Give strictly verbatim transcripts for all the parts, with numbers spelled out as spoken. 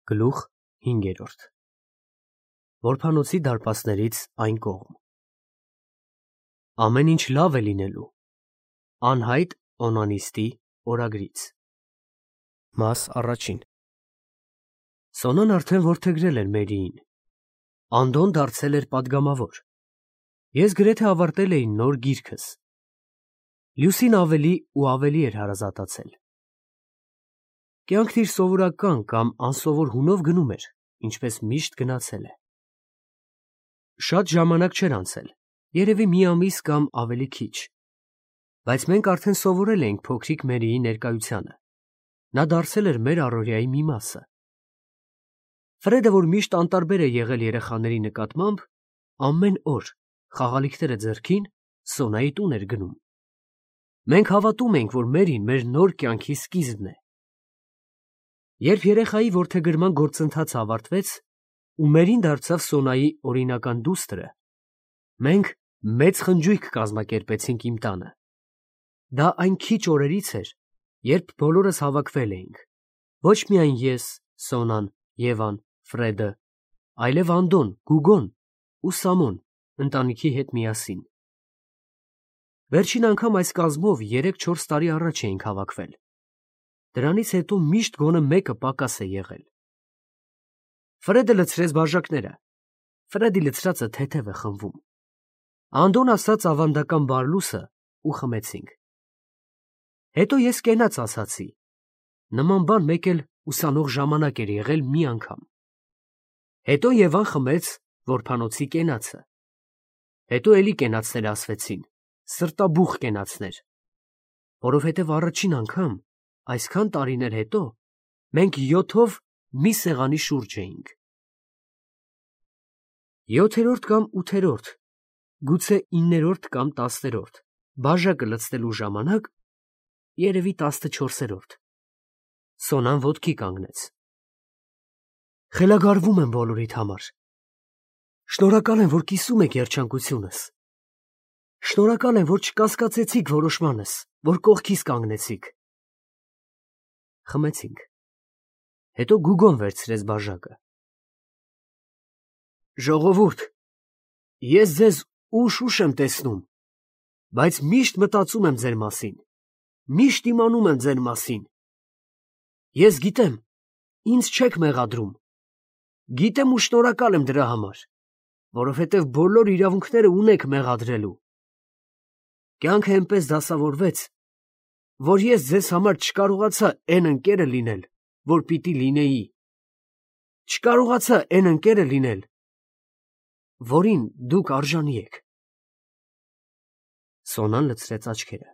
Գլուխ հինգերորդ Որփանոցի դարպասներից այն կողմ Ամեն ինչ լավ է լինելու Անհայտ օնանիստի օրագրից Մաս առաջին Սոնան արդեն որդեգրել էր Մերիին Անդոն դարձել էր պատգամավոր Ես գրեթե ավարտել էի նոր գիրքս Լյուսին ավելի ու ավելի էր հարազատացել Կյանքն իր սովորական կամ անսովոր հունով գնում էր, ինչպես միշտ գնացել է Շատ ժամանակ չէր անցել, երևի մի ամիս կամ ավելի քիչ Բայց մենք արդեն սովորել էինք փոքրիկ Մերիի ներկայությանը Նա դարձել էր մեր առօրյայի մի մասը Ֆրեդը, որ միշտ անտարբեր է եղել երեխաների նկատմամբ, ամեն օր, խաղալիքները ձեռքին, Սոնայի տուն էր գնում Մենք հավատում էինք, որ Մերին մեր նոր կյանքի սկիզբն է Երբ երեխայի որդեգրման գործընթացը ավարտվեց ու Մերին դարձավ Սոնայի օրինական դուստրը, մենք մեծ խնջույք կազմակերպեցինք իմ տանը։ Դա այն քիչ օրերից էր, երբ բոլորս հավաքվել էինք, ոչ միայն ես, Սոնան, Եվան, Ֆրեդը, այլև Անդոն, Գուգոն ու Սամոն ընտանիքի հետ միասին։ Վերջին անգամ այս կազմով երեք-չորս տարի առաջ էինք հավաքվել։ Դրանից հետո միշտ գոնե մեկը պակաս է եղել։ Ֆրեդը լցրեց բաժակները։ Ֆրեդի լցրածը թեթև է խմվում։ Անդոն ասաց ավանդական բարլուսը ու խմեցինք։ Հետո ես կենաց ասացի։ Նման բան մեկ էլ ուսանող ժամանակ էր եղել մի անգամ։ Հետո Եվան խմեց որփանոցի կենացը։ Հետո էլի կենացներ ասվեցին, սրտաբուխ կենացներ, որովհետև առաջին անգամ Այսքան տարիներ հետո մենք յոթով մի սեղանի շուրջ էինք։ Յոթերորդ կամ ութերորդ, գուցե իններորդ կամ տասներորդ, բաժակը լցնելու ժամանակ, երևի տասնչորսերորդ, Սոնան ոտքի կանգնեց։ Խելագարվում եմ բոլորիդ համար։ Շնորհակալ եմ, որ կիսում եք երջանկությունս։ Շնորհակալ եմ, որ չկասկածեցիք որոշմանս, որ կողքիս կանգնեցիք։ Խմեցինք։ Հետո Գուգոն վերցրեց բաժակը։ Ժողովուրդ, ես ձեզ ուշ-ուշ եմ տեսնում, բայց միշտ մտածում եմ ձեր մասին, միշտ իմանում եմ ձեր մասին։ Ես գիտեմ, ինձ չեք մեղադրում։ Գիտեմ ու շնորհակալ եմ դրա համար, որովհետև բոլոր իրավունքները ունեք մեղադրելու։ Կյանքը այնպես դասավորվեց, որ ես ձեզ համար չկարողացա էն ընկերը լինել, որ պիտի լինեի, չկարողացա էն ընկերը լինել, որին դուք արժանի եք։ Սոնան լցրեց աչքերը,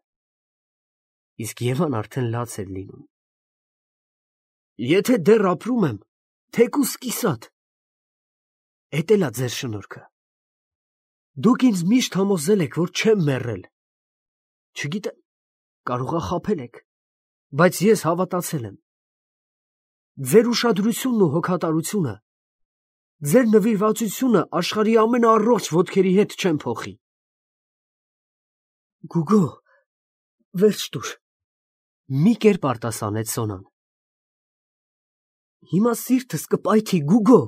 իսկ Եվան արդեն լաց էր լինում։ Եթե դեռ ապրում եմ, թեկուզ կիսատ, էդ էլ ա ձեր շնորհքը։ Դուք ինձ միշտ համոզել եք, որ չեմ մեռել, չգիտեմ, կարող ա խաբել եք, բայց ես հավատացել եմ։ Ձեր ուշադրությունն ու հոգատարությունը, ձեր նվիրվածությունը աշխարհի ամենաառողջ ոտքերի հետ չեմ փոխի։ Գուգո, վերջ տուր, մի կերպ արտասանեց Սոնան։ Հիմա սիրտս կպայթի, Գուգո։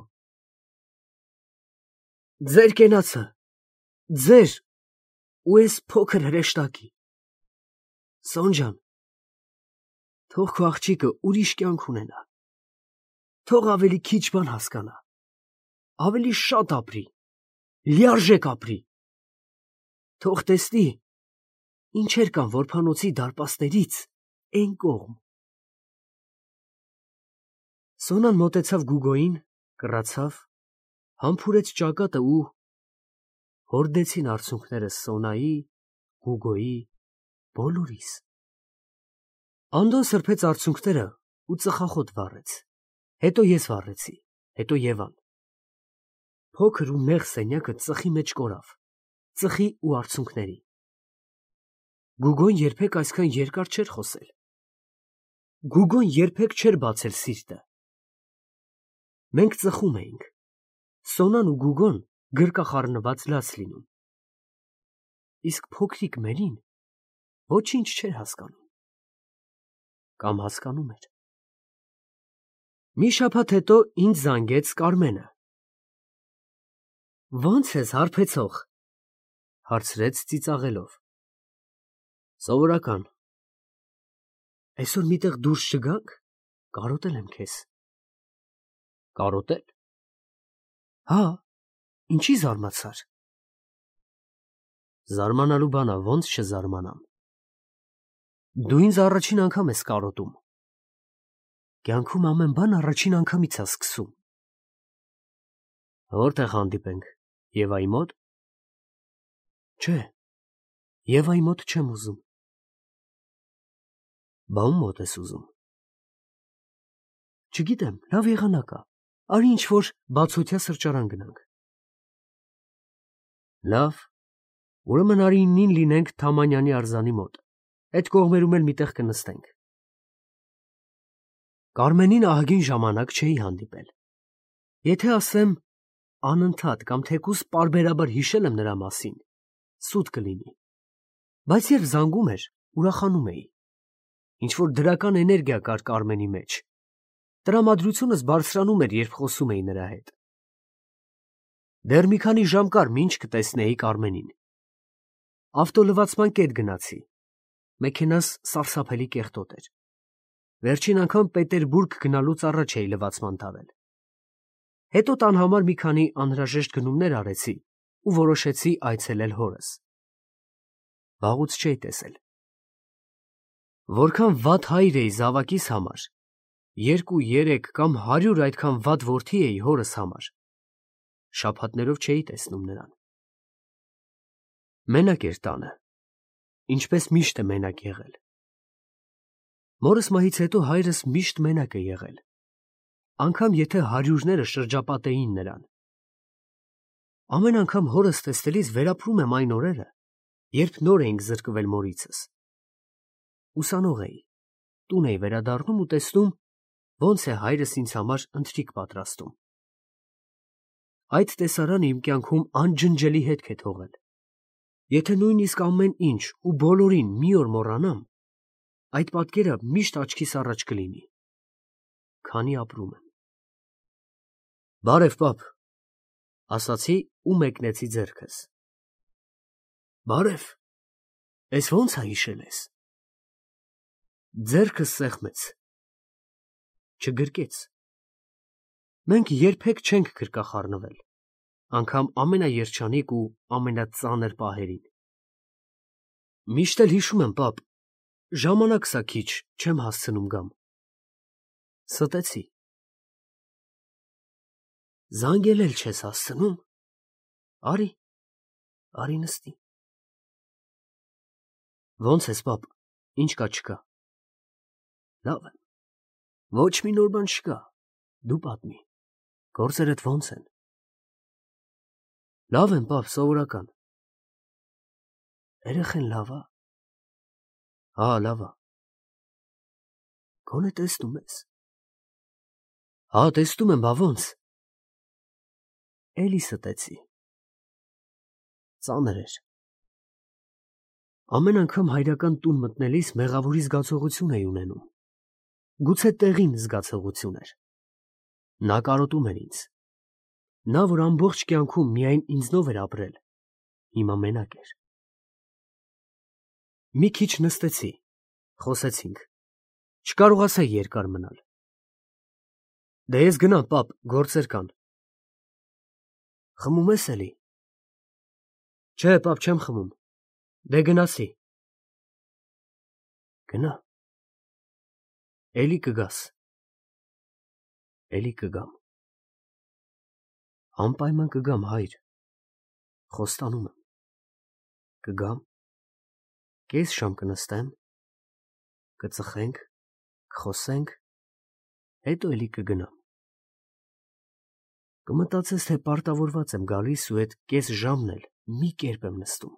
Ձեր կենացը, ձեր ու էս փոքր հրեշտակի։ Սոն ջան, թող քո աղջիկը ուրիշ կյանք ունենա, թող ավելի քիչ բան հասկանա, ավելի շատ ապրի, լիարժեք ապրի, թող տեսնի, ինչեր կան որփանոցի դարպասներից էն կողմ։ Սոնան մոտեցավ Գուգոյին, կռացավ, համբուրեց ճակատը ու հորդեցին արցունքները Սոնայի, Գուգոյի, բոլորիս։ Անդոն սրբեց արցունքները ու ծխախոտ վառեց, հետո ես վառեցի, հետո Եվան։ Փոքր ու նեղ սենյակը ծխի մեջ կորավ, ծխի ու արցունքների։ Գուգոն երբեք այսքան երկար չէր խոսել։ Գուգոն երբեք չէր բացել սիրտը։ Մենք ծխում էինք, Սոնան ու Գուգոն գրկախառնված լաց լինում։ Իսկ փոքրիկ Մերին ոչինչ չէր հասկանում։ Կամ հասկանում էր։ Մի շաբաթ հետո ինձ զանգեց Կարմենը։ Ո՞նց ես, հարբեցող, հարցրեց ծիծաղելով։ Սովորական։ Այսօր միտեղ դուրս չգանք, կարոտել եմ քեզ։ Կարոտել։ Հա, ինչի զարմացար։ Զարմանալու բան ա, ոնց չզարմանամ։ Դու ինձ առաջին անգամ ես կարոտում։ Կյանքում ամեն բան առաջին անգամից է սկսում։ Որտեղ հանդիպենք, Եվայի մոտ։ Չէ, Եվայի մոտ չեմ ուզում։ Բա ում մոտ ես ուզում։ Չգիտեմ, լավ եղանակ ա, արի ինչ-որ բացօթյա սրճարան գնանք։ Լավ, ուրեմն արի նին լինենք Թամանյանի արձանի մոտ, այդ կողմերում էլ միտեղ կնստենք։ Կարմենին ահագին ժամանակ չէի հանդիպել։ Եթե ասեմ անընդհատ կամ թեկուզ պարբերաբար հիշել եմ նրա մասին, սուտ կլինի, բայց երբ զանգում էր, ուրախանում էի։ Ինչ-որ դրական էներգիա կար Կարմենի մեջ։ Տրամադրությունս բարձրանում էր, երբ խոսում էի նրա հետ։ Դեռ մի քանի ժամ կար, մինչ կտեսնեի Կարմենին։ Ավտոլվացման կետ գնացի։ Մեքենաս սարսափելի կեղտոտ էր։ Վերջին անգամ Պետերբուրգ գնալուց առաջ էի լվացման տարել։ Հետո տան համար մի քանի անհրաժեշտ գնումներ արեցի ու որոշեցի այցելել հորս։ Վաղուց չէի տեսել։ Որքան վատ հայր էի զավակիս համար, երկու, երեք կամ հարյուր այդքան վատ որդի էի հորս համար, շաբաթներով չէի տեսնում նրան։ Մենակ էր տանը, ինչպես միշտ է մենակ եղել։ Մորս մահից հետո հայրս միշտ մենակ է եղել, անգամ եթե հարյուրները շրջապատեին նրան։ Ամեն անգամ հորս տեսնելիս վերապրում եմ այն օրերը, երբ նոր էինք զրկվել մորիցս։ Ուսանող էի, տուն էի վերադառնում ու տեսնում, ոնց է հայրս ինձ համար ընթրիք պատրաստում։ Այդ տեսարանը իմ կյանքում անջնջելի հետք է թողել։ Եթե նույնիսկ ամեն ինչ ու բոլորին մի օր մոռանամ, այդ պատկերը միշտ աչքիս առաջ կլինի, քանի ապրում եմ։ Բարև, պապ, ասացի ու մեկնեցի ձեռքս։ Բարև, ես ո՞նց ա հիշել ես։ Ձեռքս սեղմեց։ Չգրկեց։ Մենք երբեք չենք գրկախառնվել, անգամ ամենաերջանիկ ու ամենածանր պահերին։ Միշտ էլ հիշում եմ, պապ, ժամանակս ա քիչ, չեմ հասցնում գամ։ Ստեցի։ Զանգել էլ չես հասցնում։ Արի, արի նստի։ Ոնց ես, պապ, ինչ կա չկա։ Լավ եմ։ Ոչ մի նոր բան չկա, դու պատմի, գործերդ ոնց են։ Լավ եմ, պապ, սովորական։ Երեխեն լավ ա։ Հա, լավ ա։ Գոնե տեսնում ես։ Հա, տեսնում եմ, բա ոնց։ Էլի ստեցի։ Ծանր էր։ Ամեն անգամ հայրական տուն մտնելիս մեղավորի զգացողություն էի ունենում։ Գուցե տեղին զգացողություն էր։ Նա կարոտում էր ինձ։ Նա, որ ամբողջ կյանքում միայն ինձնով էր ապրել, հիմա մենակ էր։ Մի քիչ նստեցի, խոսեցինք։ Չկարողացա երկար մնալ։ Դե ես գնամ, պապ, գործեր կան։ Խմում ես էլի։ Չէ, պապ, չեմ խմում։ Դե գնացի։ Գնա։ Էլի կգաս։ Էլի կգամ։ Անպայման կգամ, հայր, խոստանում եմ, կգամ, կես ժամ կնստեմ, կծխենք, կխոսենք, հետո էլի կգնամ։ Կմտածես, թե պարտավորված եմ գալիս ու այդ կես ժամն էլ մի կերպ եմ նստում։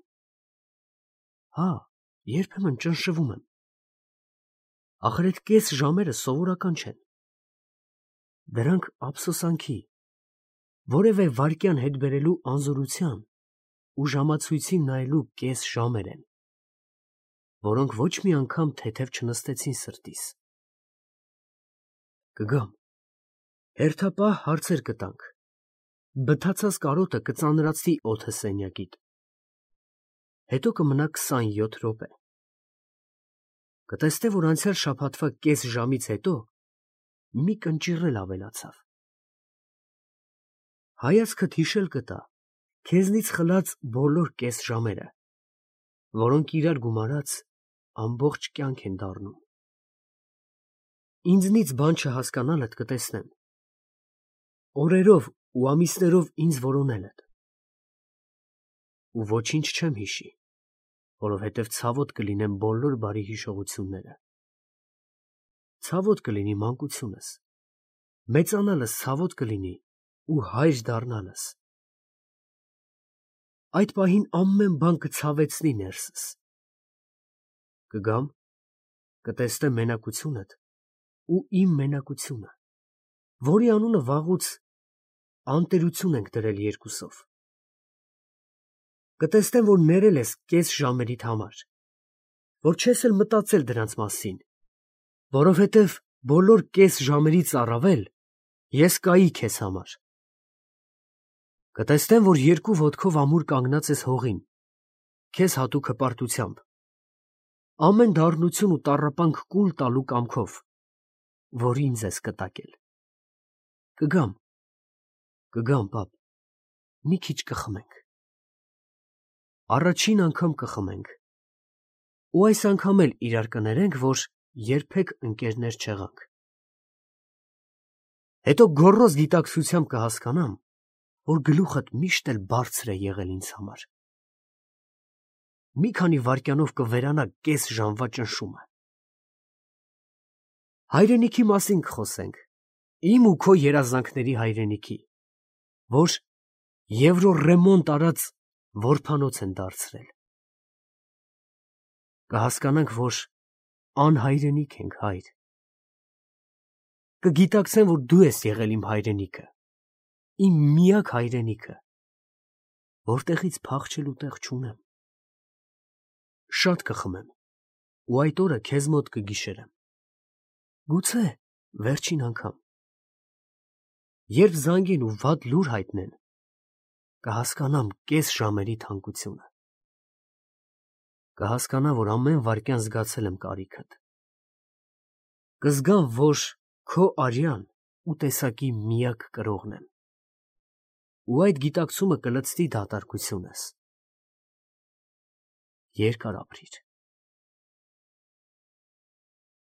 Հա, երբեմն ճնշվում եմ։ Ախր այդ կես ժամերը սովորական չեն։ Դրանք ափսոսանքի, որևէ վայրկյան հետ բերելու անզորության ու ժամացույցին նայելու կես ժամեր են, որոնք ոչ մի անգամ թեթև չնստեցին սրտիս։ Կգամ, Հերթապահ հարցեր կտանք, բթացած կարոտը կծանրացնի օդը սենյակիդ, հետո կմնա քսանյոթ րոպե, կտեսնե, որ անցյալ շաբաթվա կես ժամից հետո մի կնճիռ էլ ավելացավ, հայացքդ հիշել կտա քեզնից խլած բոլոր կես ժամերը, որոնք իրար գումարած ամբողջ կյանք են դառնում, ինձնից բան չհասկանալդ կտեսնեմ, օրերով ու ամիսներով ինձ որոնել ես, ու ոչինչ չեմ հիշի, որովհետև ցավոտ կլինեմ բոլոր բարի հիշողությունները, ցավոտ կլինի մանկությունս, մեծանալս ցավոտ կլինի ու հայր դառնալս, այդ պահին ամեն բան կցավեցնի ներսս, կգամ, կտեսնեմ մենակությունդ ու իմ մենակությունը, որի անունը վաղուց անտերություն ենք դրել երկուսով, կտեսնեմ, որ ներել ես կես ժամերիդ համար, որ չես էլ մտածել դրանց մասին, որովհետև բոլոր կես ժամերից առավել ես կայի քեզ համար, կտեսնեմ, որ երկու ոտքով ամուր կանգնած ես հողին, քեզ հատուկ հպարտությամբ, ամեն դառնություն ու տառապանք կուլ տալու կամքով, որ ինձ ես կտակել, կգամ, կգամ, պապ, մի քիչ կխմենք, առաջին անգամ կխմենք, ու այս անգամ էլ իրար կներենք, որ երբեք ընկերներ չեղանք, հետո գոռոզ գիտակցությամբ կհասկանամ, որ գլուխդ միշտ էլ բարձր է եղել ինձ համար, մի քանի վայրկյանով կվերանա կես ժամվա ճնշումը, հայրենիքի մասին կխոսենք, իմ ու քո երազանքների հայրենիքի, որ եվրոռեմոնտ արած որբանոց են դարձրել, կհասկանանք, որ անհայրենիք ենք, հայր, կգիտակցեմ, որ դու ես եղել իմ հայրենիքը, իմ միակ հայրենիքը, որտեղից փախչելու տեղ չունեմ, շատ կխմեմ, ու այդ օրը քեզ մոտ կգիշերեմ, գուցե վերջին անգամ, երբ զանգեն ու վատ լուր հայտնեն, կհասկանամ կես ժամերի թանկությունը, կհասկանամ, որ ամեն վայրկյան զգացել եմ կարիքդ, կզգամ, որ քո արյան ու տեսակի միակ կրողն եմ, ու այդ գիտակցումը կլցնի դատարկությունս, երկար ապրիր,